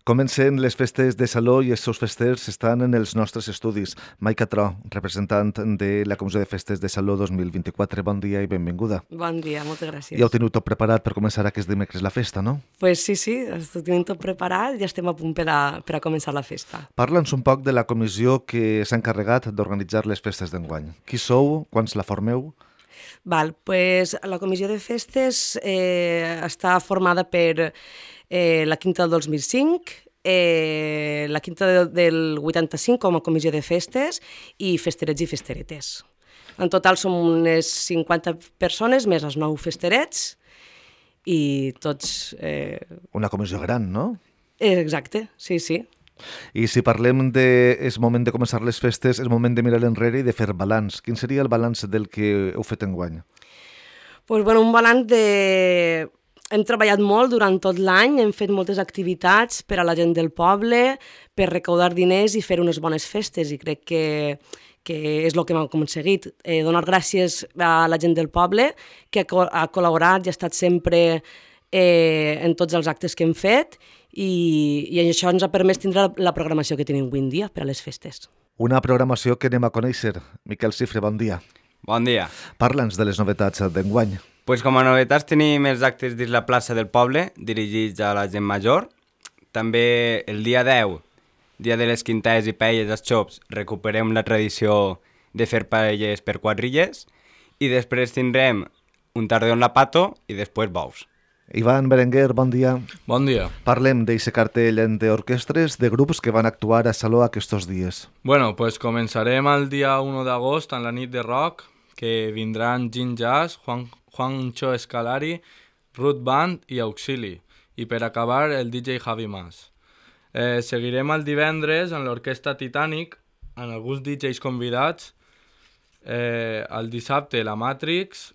Comencen les festes de Saló i els seus festers estan en els nostres estudis. Maica Tro, representant de la Comissió de Festes de Saló 2024. Bon dia i benvinguda. Bon dia, moltes gràcies. Ja heu tingut tot preparat per començar aquest dimecres la festa, no? Pues sí, ho tenim tot preparat i estem a punt per a començar la festa. Parla'ns un poc de la comissió que s'ha encarregat d'organitzar les festes d'enguany. Qui sou? Quants la formeu? Pues la Comissió de Festes està formada per la Quinta del 2005, la Quinta del 85 com a Comissió de Festes i festerets i festeretes. En total som unes 50 persones, més els 9 festerets i tots... Una comissió gran, no? Exacte, sí. I si parlem és moment de començar les festes, és moment de mirar enrere i de fer balanç. Quin seria el balanç del que heu fet enguany? Un balanç de... Hem treballat molt durant tot l'any, hem fet moltes activitats per a la gent del poble, per recaudar diners i fer unes bones festes, i crec que és el que hem aconseguit. Donar gràcies a la gent del poble, que ha col·laborat i ha estat sempre en tots els actes que hem fet, i això ens ha permès tindre la programació que tenim avui en dia per a les festes. Una programació que anem a conèixer. Miquel Cifre, bon dia. Bon dia. Parla'ns de les novetats d'enguany. Com a novetats tenim els actes dins la plaça del poble, dirigits a la gent major. També el dia 10, dia de les quintaes i paelles als xops, recuperem la tradició de fer paelles per quadrilles. I després tindrem un tardeó en la pato i després bous. Ivan Berenguer, bon dia. Bon dia. Parlem d'eixe cartell d'orquestres de grups que van actuar a Saló aquests dies. Començarem el dia 1 d'agost en la nit de rock, que vindran Gin Jazz, Juancho Escalari, Ruth Band i Auxili, i per acabar el DJ Javi Mas. Seguirem el divendres en l'Orquestra Titanic, amb alguns DJs convidats, el dissabte la Matrix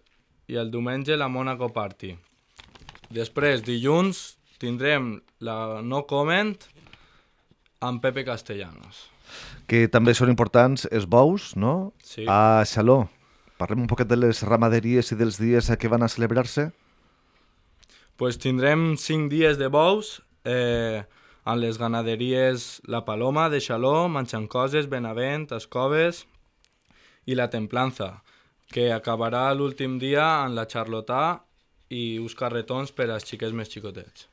i el diumenge la Monaco Party. Després, dilluns, tindrem la No Comment amb Pepe Castellanos. Que també són importants els bous, no? Sí. A Saló. Parlem un poquet de les ramaderies i dels dies que van a celebrar-se. Tindrem 5 dies de bous en les ganaderies La Paloma de Xaló, Manxancoses, Benavent, Escoves i La Templanza, que acabarà l'últim dia en la Charlotà i uns carretons per als xiquets més xicotets.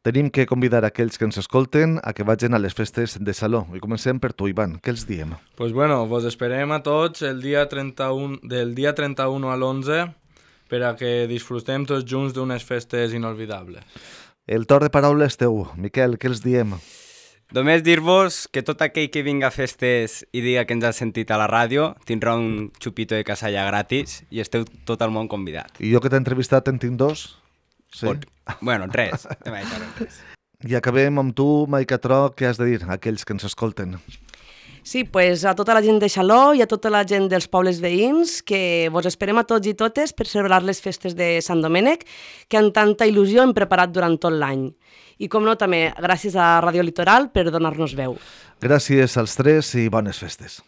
Tenim que convidar aquells que ens escolten a que vagin a les festes de Saló. I comencem per tu, Ivan. Què els diem? Vos esperem a tots del dia 31 a l'11 per a que disfrutem tots junts d'unes festes inolvidables. El torn de paraula és teu. Miquel, què els diem? Només dir-vos que tot aquell que vinga a festes i diga que ens ha sentit a la ràdio tindrà un xupito de casalla gratis i esteu tot el món convidat. I jo que t'he entrevistat en tinc 2? Sí. Res. I acabem amb tu, Maica Tro, què has de dir a aquells que ens escolten? Sí, a tota la gent de Xaló i a tota la gent dels pobles veïns, que vos esperem a tots i totes per celebrar les festes de Sant Domènec, que amb tanta il·lusió hem preparat durant tot l'any. I com no, també gràcies a Ràdio Litoral per donar-nos veu. Gràcies als tres i bones festes.